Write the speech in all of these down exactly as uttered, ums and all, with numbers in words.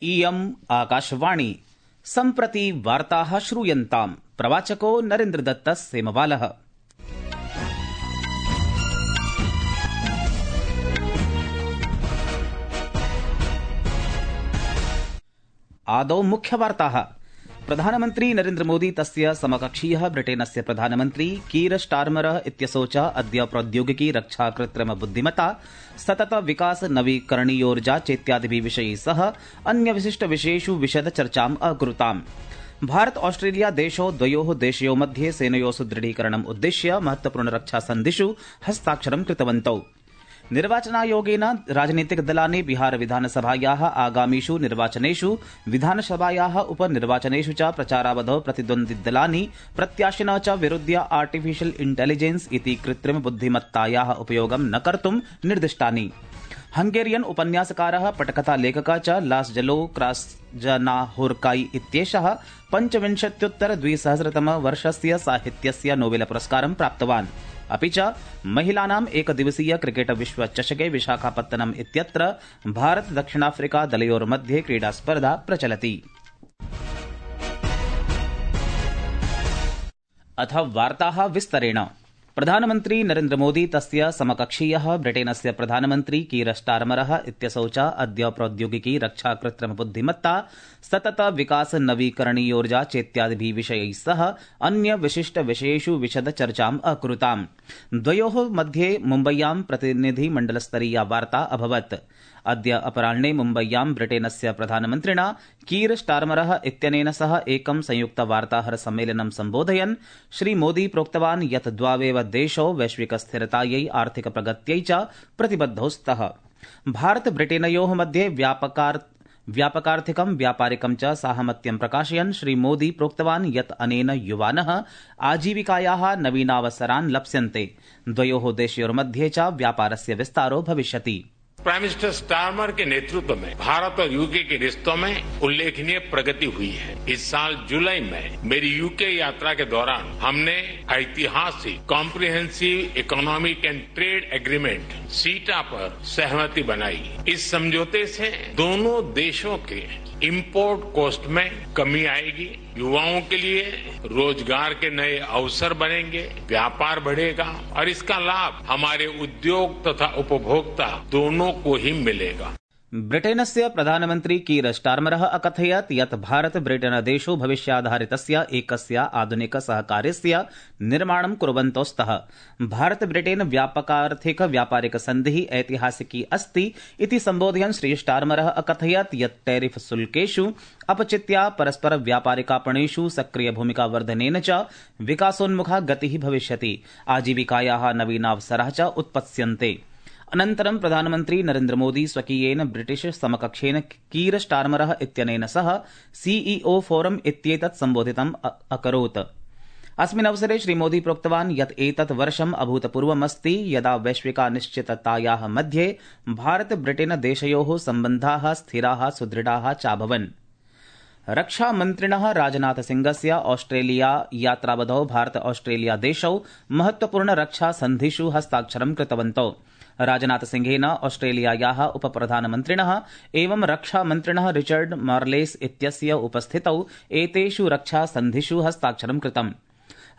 इयम् आकाशवाणी सम्प्रति वार्ताः श्रूयन्ताम्। प्रवाचको नरेन्द्रदत्तः सेमवालः। आदौ मुख्यवार्ताः। प्रधानमन्त्री नरेन्द्रमोदी तस्य समकक्षीयः ब्रिटेनस्य प्रधानमन्त्री कीर स्टार्मरः इत्यसौ च अद्य प्रौद्योगिकी रक्षा कृत्रिम बुद्धिमत्ता सतत विकास नवीकरणीयोर्जा चेत्यादिभिः विषयैः सह अन्य विशिष्ट विषयेषु विशद चर्चाम् अकुरुताम्। भारत ऑस्ट्रेलिया देशौ द्वयोः देशयोः मध्ये सेनयोः सुदृढीकरणम् उद्दिश्य महत्वपूर्ण रक्षा सन्धिषु हस्ताक्षरं कृतवन्तौ। निर्वाचनायोगेन राजनीतिकदलानि बिहार विधानसभायाः आगामिषु निर्वाचनेषु विधानसभायाः उपनिर्वाचनेषु च प्रचारावधौ प्रतिद्वन्द्विदलानि प्रत्याशिनः च विरुध्य आर्टिफिशियल इंटेलिजेंस इति कृत्रिम बुद्धिमत्तायाः उपयोगं न कर्तुं निर्दिष्टानि। हंगेरियन उपन्यासकारः पटकथा लेखकः च लास्जलो क्रास्जनाहोर्काई इत्येषः पञ्चविंशत्युत्तर द्विसहस्रतम वर्षस्य साहित्यस्य नोबेल पुरस्कारं प्राप्तवान्। अपि च महिलानाम् एकदिवसीय क्रिकेट विश्वचषके विशाखापत्तनम इत्यत्र भारत दक्षिणाफ्रिका दलयोर्मध्ये क्रीडास्पर्धा प्रचलति। अथ वार्ताः विस्तरेण। प्रधानमन्त्री नरेन्द्रमोदी तस्य समकक्षीयः ब्रिटेनस्य प्रधानमन्त्री कीर स्टार्मरः इत्यसौ च अद्य प्रौद्योगिकी रक्षा कृत्रिम बुद्धिमत्ता सतत विकास नवीकरणीयोर्जा चेत्यादिभिः विषयैः सह अन्य विशिष्ट विषयेषु विशद चर्चाम् अकुरुताम्। द्वयोः मध्ये मुम्बय्यां प्रतिनिधिमण्डलस्तरीया वार्ता अभवत्। अद्य अपराह्ने मुम्बय्यां ब्रिटेनस्य प्रधानमन्त्रिणा कीर स्टार्मरः इत्यनेन सह एकं संयुक्त वार्ताहर सम्मेलनं सम्बोधयन् श्रीमोदी प्रोक्तवान् यत् द्वावेव देशौ वैश्विक स्थिरतायै आर्थिक प्रगत्यै च प्रतिबद्धौ स्तः। भारत ब्रिटेनयोः मध्ये व्यापकार्थ व्यापकार्थिकं व्यापारिकं च साहमत्यं प्रकाशयन् श्रीमोदी प्रोक्तवान् यत् अनेन युवानः आजीविकायाः नवीनावसरान् लप्स्यन्ते। द्वयोः देशयोर्मध्ये च व्यापारस्य विस्तारो भविष्यति। प्राइम मिनिस्टर स्टार्मर के नेतृत्व में भारत और यूके के रिश्तों में उल्लेखनीय प्रगति हुई है। इस साल जुलाई में मेरी यूके यात्रा के दौरान हमने ऐतिहासिक comprehensive economic and trade agreement सीटा पर सहमति बनाई। इस समझौते से दोनों देशों के इंपोर्ट कॉस्ट में कमी आएगी, युवाओं के लिए रोजगार के नए अवसर बनेंगे, व्यापार बढ़ेगा और इसका लाभ हमारे उद्योग तथा उपभोक्ता दोनों को ही मिलेगा। ब्रिटेनस्य प्रधानमन्त्री कीर स्टार्मरः अकथयत् यत् भारत ब्रिटेन देशौ भविष्याधारितस्य एकस्य आधुनिक सहकार्यस्य निर्माणं कुर्वन्तौ स्तः। भारत ब्रिटेन व्यापकार्थिक व्यापारिक सन्धिः ऐतिहासिकी अस्ति इति सम्बोधयन् श्री स्टार्मरः अकथयत् यत् टैरिफ शुल्केषु अपचित्या परस्पर व्यापारिकापणेषु सक्रिय भूमिका वर्धनेन च विकासोन्मुखा गतिः भविष्यति, आजीविकायाः नवीनावसराः च उत्पत्स्यन्ते। अनन्तरं प्रधानमन्त्री नरेन्द्रमोदी स्वकीयेन ब्रिटिश समकक्षेन कीर स्टार्मरः इत्यनेन सह सीईओ फोरम इत्येतत् सम्बोधितम् अकरोत्। अस्मिन् अवसरे श्रीमोदी प्रोक्तवान् यत् एतत् वर्षम् अभूतपूर्वमस्ति यदा वैश्विकानिश्चिततायाः मध्ये भारत ब्रिटेन देशयोः सम्बन्धाः स्थिराः सुदृढाः चाभवन्। रक्षामन्त्रिणः राजनाथ सिंहस्य ऑस्ट्रेलिया यात्रावधौ भारत ऑस्ट्रेलिया देशौ महत्वपूर्ण रक्षा सन्धिषु हस्ताक्षरं कृतवन्तौ। राजनाथ सिंहेन ऑस्ट्रेलियायाः उपप्रधानमन्त्रिणः एवं रक्षामन्त्रिणः रिचर्ड मार्लेस इत्यस्य उपस्थितौ एतेषु रक्षा सन्धिषु हस्ताक्षरं कृतम्।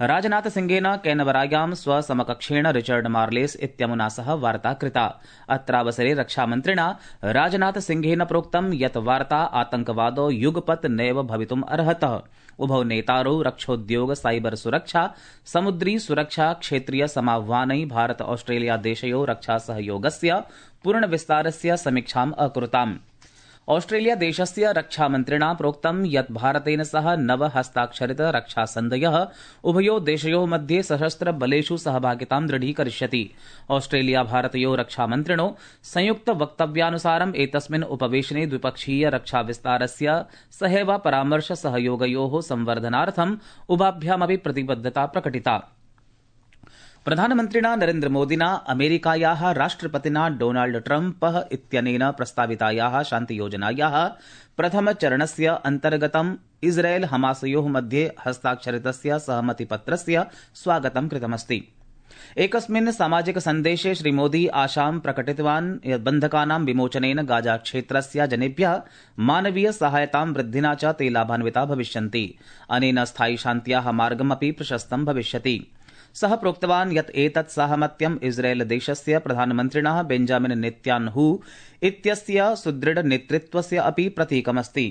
राजनाथ सिंहेन कैनबरायां स्वसमकक्षेण रिचर्ड मार्लेस इत्यमुना सह वार्ता कृता। अत्रावसरे रक्षामन्त्रिणा राजनाथ सिंहेन प्रोक्तं यत् वार्ता आतंकवादो युगपत् नैव भवितुम् अर्हतः। उभौ नेतारौ रक्षोद्योग, साइबर सुरक्षा, समुद्री सुरक्षा क्षेत्रीय समाह्वानै भारत ऑस्ट्रेलिया देशयोः रक्षा सहयोगस्य पूर्णविस्तारस्य समीक्षाम् अकुरुताम्। ऑस्ट्रेलिया देशस्य रक्षामन्त्रिणा प्रोक्तं यत् भारतेन सह नव हस्ताक्षरित रक्षासन्धयः उभयोः देशयोः मध्ये सशस्त्र बलेषु सहभागितां दृढीकरिष्यति। ऑस्ट्रेलिया भारतयोः रक्षामन्त्रिणो संयुक्त वक्तव्यानुसारम् एतस्मिन् उपवेशने द्विपक्षीय रक्षाविस्तारस्य सहैव परामर्श सहयोगयोः संवर्धनार्थम् उभाभ्यामपि प्रतिबद्धता प्रकटिता। प्रधानमन्त्रिणा नरेन्द्रमोदिना अमेरिकायाः राष्ट्रपतिना डोनाल्ड ट्रम्पः इत्यनेन प्रस्तावितायाः शान्तियोजनायाः प्रथमचरणस्य अन्तर्गतम् इस्राएल हमासयोः मध्ये हस्ताक्षरितस्य सहमतिपत्रस्य स्वागतं कृतमस्ति। एकस्मिन् सामाजिक सन्देशे श्रीमोदी आशां प्रकटितवान् यत् बन्धकानां विमोचनेन गाजा क्षेत्रस्य जनेभ्यः मानवीय सहायतां वृद्धिना च ते लाभान्विता भविष्यन्ति। अनेन स्थायि शान्त्याः मार्गमपि प्रशस्तं भविष्यति। सः प्रोक्तवान् यत् एतत् साहमत्यम् इस्राएल देशस्य प्रधानमन्त्रिणः बेंजामिन नेत्यान्हू इत्यस्य सुदृढ नेतृत्वस्य अपि प्रतीकमस्ति।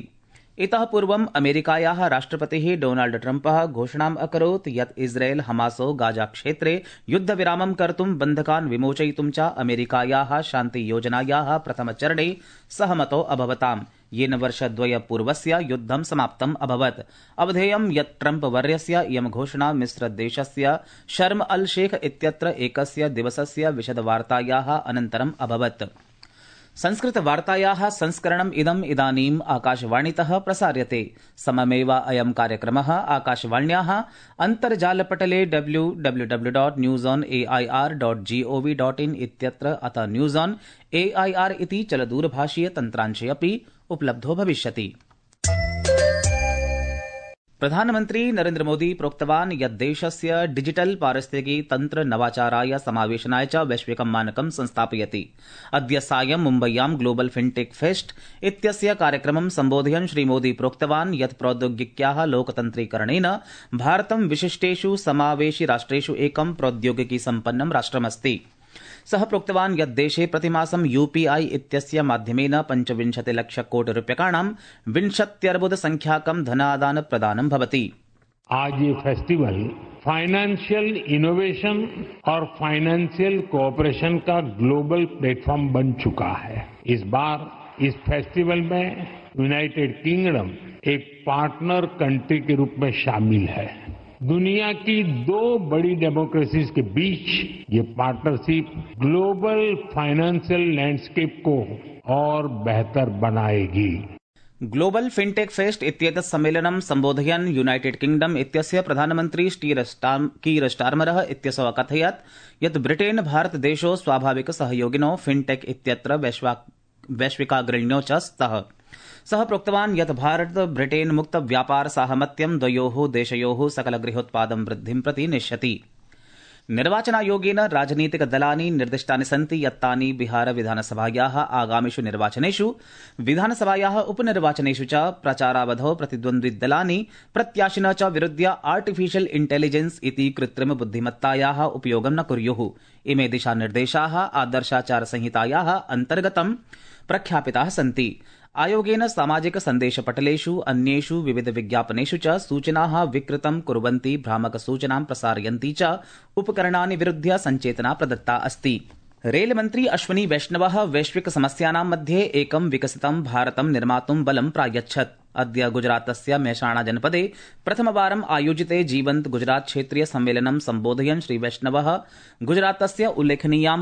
इतः पूर्वम् अमेरिकायाः राष्ट्रपतिः डोनाल्ड ट्रम्पः घोषणाम् अकरोत् यत् इस्राएल हमासो गाजा क्षेत्रे युद्धविरामं कर्तुं बन्धकान् विमोचयितुं च अमेरिकायाः शान्तियोजनायाः प्रथमचरणे सहमतो अभवताम्, येन वर्षद्वयपूर्वस्य युद्धं समाप्तम् अभवत्। अवधेयं यत् ट्रम्प वर्यस्य इयं घोषणा मिस्रदेशस्य शर्म अल शेख इत्यत्र एकस्य दिवसस्य विशदवार्तायाः अनन्तरम् अभवत्। संस्कृतवार्तायाः संस्करणम् इदम् इदानीम् आकाशवाणीतः प्रसार्यते। सममेव अयं कार्यक्रमः आकाशवाण्याः अन्तर्जालपटले W W W dot news on A I R dot G O V dot in इत्यत्र अथ news on A I R इति चलदूरभाषीय तन्त्रांशे अपि उपलब्धो भविष्यति। प्रधानमन्त्री नरेन्द्र मोदी प्रोक्तवान् यत् देशस्य डिजिटल पारिस्थितिकी तन्त्र नवाचाराय समावेशनाय च वैश्विकं मानकं संस्थापयति। अद्य सायं मुम्बय्यां ग्लोबल फिनटेक फेस्ट इत्यस्य कार्यक्रमं सम्बोधयन् श्रीमोदी प्रोक्तवान् यत् प्रौद्योगिक्याः लोकतन्त्रीकरणेन भारतं विशिष्टेषु समावेशि राष्ट्रेषु एकं प्रौद्योगिकी सम्पन्नं राष्ट्रमस्ति। सः प्रोक्तवान् यत् देशे प्रतिमासं यूपीआई इत्यस्य माध्यमेन पञ्चविंशतिलक्षकोटिरूप्यकाणां विंशत्यर्बुद संख्याकं धनादान प्रदानं भवति। आज ये फेस्टिवल फाइनेंशियल इनोवेशन और फाइनेंशियल कोऑपरेशन का ग्लोबल प्लेटफॉर्म बन चुका है। इस बार इस फेस्टिवल में यूनाइटेड किंगडम एक पार्टनर कंट्री के रूप में शामिल है। दुनिया की दो बड़ी डेमोक्रेसीज के बीच ये पार्टनरशिप ग्लोबल फाइनेंशियल लैंडस्केप को और बेहतर बनाएगी। ग्लोबल फिनटेक फेस्ट इत्येतत् सम्मेलनं सम्बोधयन् यूनाइटेड किंगडम इत्यस्य प्रधानमन्त्री कीर स्टार्मरः इत्यसौ अकथयत् यत् ब्रिटेन भारत देशौ स्वाभाविक सहयोगिनौ फिनटेक इत्यत्र वैश्विकाग्रण्यौ च स्तः। सः प्रोक्तवान् यत् भारत ब्रिटेन मुक्त व्यापार साहमत्यं द्वयोः देशयोः सकलगृहोत्पादं वृद्धिं प्रति नेष्यति। निर्वाचनायोगेन राजनीतिकदलानि निर्दिष्टानि सन्ति यत् तानि बिहार विधानसभायाः आगामिषु निर्वाचनेषु विधानसभायाः उपनिर्वाचनेषु च प्रचारावधौ प्रतिद्वन्द्विदलानि प्रत्याशिनः च विरुध्य आर्टिफिशियल इंटेलिजेंस इति कृत्रिम बुद्धिमत्तायाः उपयोगं न कुर्युः। इमे दिशानिर्देशाः आदर्शाचारसंहितायाः अन्तर्गतं प्रख्यापिताः सन्ति। आयोगेन सामाजिक सन्देशपटलेषु अन्येषु विविध विज्ञापनेषु च सूचनाः विकृतं कुर्वन्ति भ्रामक सूचनां प्रसारयन्ति च उपकरणानि विरुध्य सञ्चेतना प्रदत्ता अस्ति। रेलमन्त्री अश्विनी वैष्णवः वैश्विक समस्यानां मध्ये एकं विकसितं भारतं निर्मातुं बलं प्रायच्छत्। अद्य गुजरातस्य मेहसाणा जनपदे प्रथमवारम् आयोजिते जीवन्त गुजरात क्षेत्रीय सम्मेलनं सम्बोधयन् श्री वैष्णवः गुजरातस्य उल्लेखनीयां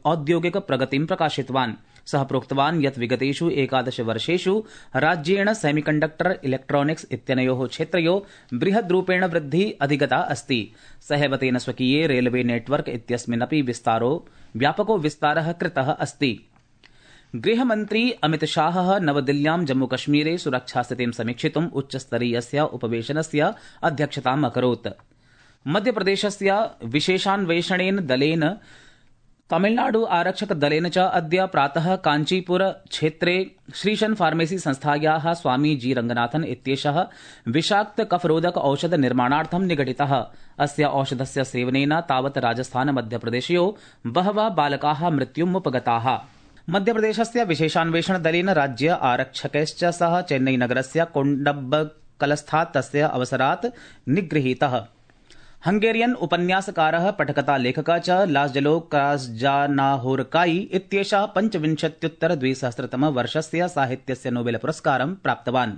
औद्योगिक प्रगतिं प्रकाशितवान्। सः प्रोक्तवान् यत् विगतेषु एकादश वर्षेषु राज्येण सेमीकण्डक्टर इलेक्ट्रॉनिक्स इत्यनयोः क्षेत्रयोः बृहद्रूपेण वृद्धिः अधिगता अस्ति। सहैव तेन स्वकीये रेलवे नेटवर्क इत्यस्मिन्नपि विस्तारो व्यापको विस्तारः कृतः अस्ति। गृहमन्त्री अमित शाहः नवदिल्ल्यां जम्मूकश्मीरे सुरक्षास्थितिं समीक्षितुम् उच्चस्तरीयस्य उपवेशनस्य अध्यक्षताम् अकरोत्। मध्यप्रदेशस्य विशेषान्वेषणेन दलेन तमिलनाडु आरक्षक दलेन च अद्य प्रातः कांचीपुर क्षेत्रे श्रीशन फार्मेसी संस्थायाः स्वामी जी रंगनाथन इत्येषः विषाक्त कफरोधक औषध निर्माणार्थं निगडितः। अस्य औषधस्य सेवनेन तावत् राजस्थान मध्यप्रदेशयोः बहवः बालकाः मृत्युमुपगताः। मध्यप्रदेशस्य विशेषान्वेषण दलेन राज्य आरक्षकैश्च सह चेन्नईनगरस्य कोण्डब्बकलस्थात् तस्य अवसरात् निगृहीतः। हंगेरियन उपन्यासकारः पठकथा लेखकः च लास्जलो क्रास्जानाहोरकाई इत्येषः पञ्चविंशत्युत्तर द्विसहस्रतमवर्षस्य साहित्यस्य नोबेल पुरस्कारं प्राप्तवान्।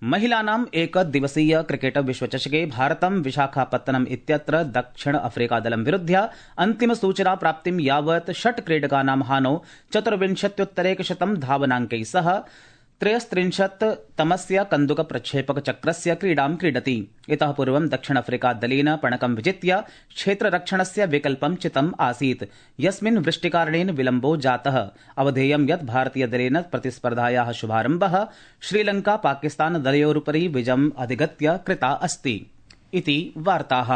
महिलानाम् एकदिवसीय क्रिकेट विश्वचषके भारतं विशाखापत्तनम इत्यत्र दक्षिण अफ्रीकादलं विरुध्य अन्तिम सूचना प्राप्तिं यावत् षट् क्रीडकानां हानौ चतुर्विंशत्युत्तरैकशतं धावनाङ्कैः सह त्रयस्त्रिंशत् तमस्य कन्दुक प्रक्षेपक चक्रस्य क्रीडां क्रीडति। इतः पूर्वं दक्षिण अफ्रीका दलेन पणकं विजित्य क्षेत्ररक्षणस्य विकल्पं चितम् आसीत्, यस्मिन् वृष्टिकारणेन विलम्बो जातः। अवधेयं यत् भारतीयदलेन प्रतिस्पर्धायाः शुभारम्भः श्रीलंका पाकिस्तान दलयोरुपरि विजयम् अधिगत्य कृता अस्ति। इति वार्ताः।